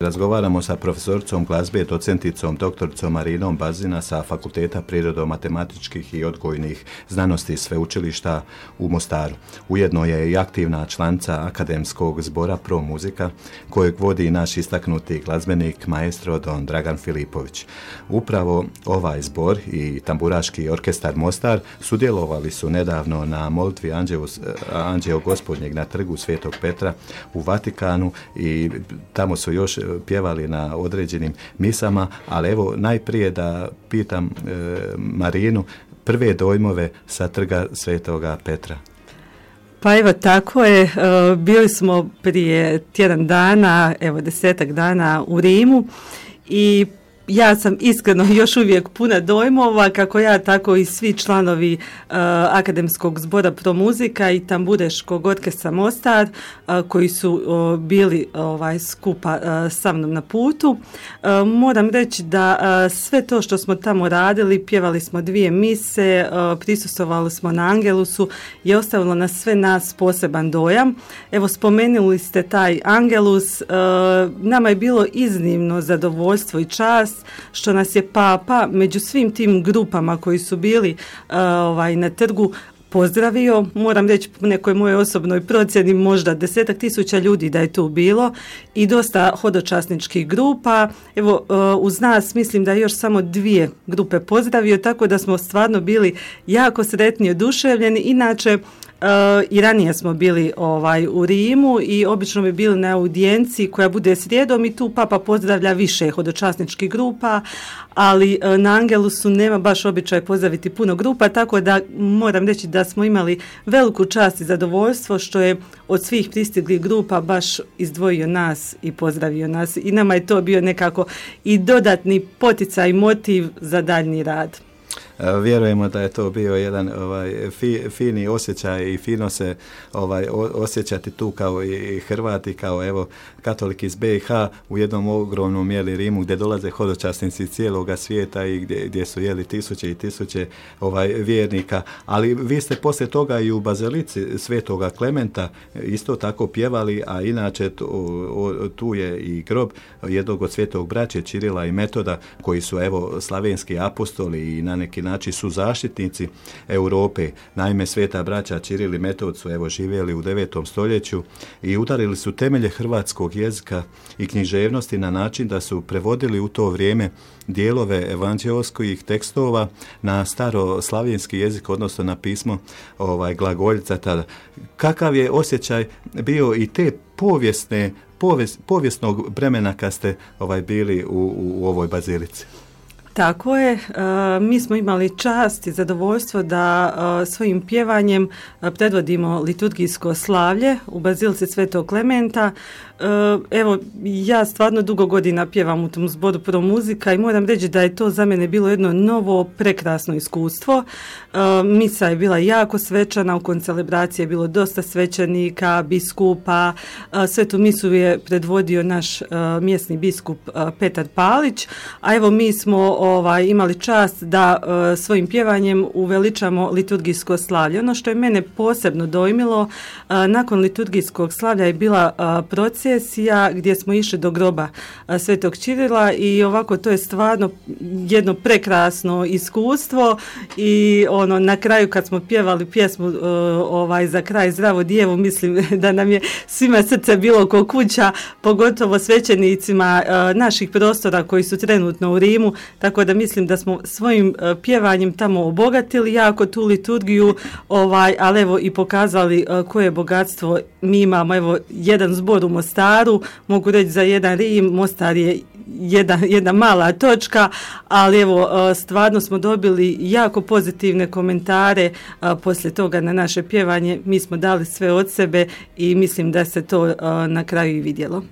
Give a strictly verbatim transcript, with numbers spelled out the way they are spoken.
Razgovaramo sa profesoricom glazbe, docenticom, doktoricom Marinom Bazina sa Fakulteta prirodno-matematičkih i odgojnih znanosti Sveučilišta u Mostaru. Ujedno je i aktivna članica Akademskog zbora Pro Muzika, kojeg vodi naš istaknuti glazbenik maestro Don Dragan Filipović. Upravo ovaj zbor i tamburaški orkestar Mostar sudjelovali su nedavno na molitvi Anđeo Gospodnjeg na trgu Svetog Petra u Vatikanu i tamo su još pjevali na određenim misama, ali evo najprije da pitam e, Marinu prve dojmove sa trga Svetoga Petra. Pa evo tako je, e, bili smo prije tjedan dana, evo desetak dana u Rimu i ja sam iskreno još uvijek puna dojmova, kako ja, tako i svi članovi uh, Akademskog zbora Pro Muzika i Tambureškog orkestra Mostar uh, koji su uh, bili ovaj, skupa uh, sa mnom na putu. Uh, moram reći da uh, sve to što smo tamo radili, pjevali smo dvije mise, uh, prisustvovali smo na Angelusu, je ostavilo na sve nas poseban dojam. Evo, spomenuli ste taj Angelus, uh, nama je bilo iznimno zadovoljstvo i čast što nas je Papa među svim tim grupama koji su bili uh, ovaj, na trgu pozdravio. Moram reći po nekoj mojoj osobnoj procjeni možda desetak tisuća ljudi da je tu bilo i dosta hodočasničkih grupa. Evo, uh, uz nas mislim da je još samo dvije grupe pozdravio, tako da smo stvarno bili jako sretni i oduševljeni. Inače, Uh, i ranije smo bili ovaj, u Rimu i obično bi bili na audijenciji koja bude srijedom i tu Papa pozdravlja više hodočasničkih grupa, ali uh, na Angelusu nema baš običaj pozdraviti puno grupa, tako da moram reći da smo imali veliku čast i zadovoljstvo što je od svih pristiglih grupa baš izdvojio nas i pozdravio nas i nama je to bio nekako i dodatni poticaj i motiv za daljnji rad. Vjerujemo da je to bio jedan ovaj, fi, fini osjećaj i fino se ovaj, osjećati tu kao i Hrvati, kao evo katolik iz be i ha u jednom ogromnom mjeli Rimu gdje dolaze hodočasnici cijeloga svijeta i gdje, gdje su jeli tisuće i tisuće ovaj, vjernika. Ali vi ste poslije toga i u Bazilici Svetoga Klementa isto tako pjevali, a inače tu, o, tu je i grob jednog od svetog braće Čirila i Metoda koji su evo slavenski apostoli i na neki način su zaštitnici Europe. Naime, sveta braća Čiril i Metod su evo živjeli u devetom stoljeću i udarili su temelje hrvatskog jezika i književnosti na način da su prevodili u to vrijeme dijelove evanđeoskih tekstova na staroslavenski jezik, odnosno na pismo ovaj, glagoljica tada. Kakav je osjećaj bio i te povijesne, povijest, povijesnog vremena kad ste ovaj, bili u, u, u ovoj bazilici? Tako je, e, mi smo imali čast i zadovoljstvo da e, svojim pjevanjem e, predvodimo liturgijsko slavlje u Bazilici Svetog Klementa. E, evo, ja stvarno dugo godina pjevam u tom zboru Pro Muzika i moram reći da je to za mene bilo jedno novo, prekrasno iskustvo. E, misa je bila jako svečana, u koncelebraciji je bilo dosta svećenika, biskupa. E, svetu misu je predvodio naš e, mjesni biskup e, Petar Palić, a evo mi smo Ovaj, imali čast da uh, svojim pjevanjem uveličamo liturgijsko slavlje. Ono što je mene posebno dojmilo, uh, nakon liturgijskog slavlja je bila uh, procesija gdje smo išli do groba uh, Svetog Čirila i ovako to je stvarno jedno prekrasno iskustvo i ono na kraju kad smo pjevali pjesmu uh, ovaj, za kraj Zdravo djevu, mislim da nam je svima srce bilo ko kuća, pogotovo svećenicima uh, naših prostora koji su trenutno u Rimu. Tako da mislim da smo svojim uh, pjevanjem tamo obogatili jako tu liturgiju, ovaj, ali evo i pokazali uh, koje bogatstvo mi imamo. Evo, jedan zbor u Mostaru, mogu reći za jedan Rim, Mostar je jedna, jedna mala točka, ali evo uh, stvarno smo dobili jako pozitivne komentare uh, poslije toga na naše pjevanje. Mi smo dali sve od sebe i mislim da se to uh, na kraju i vidjelo.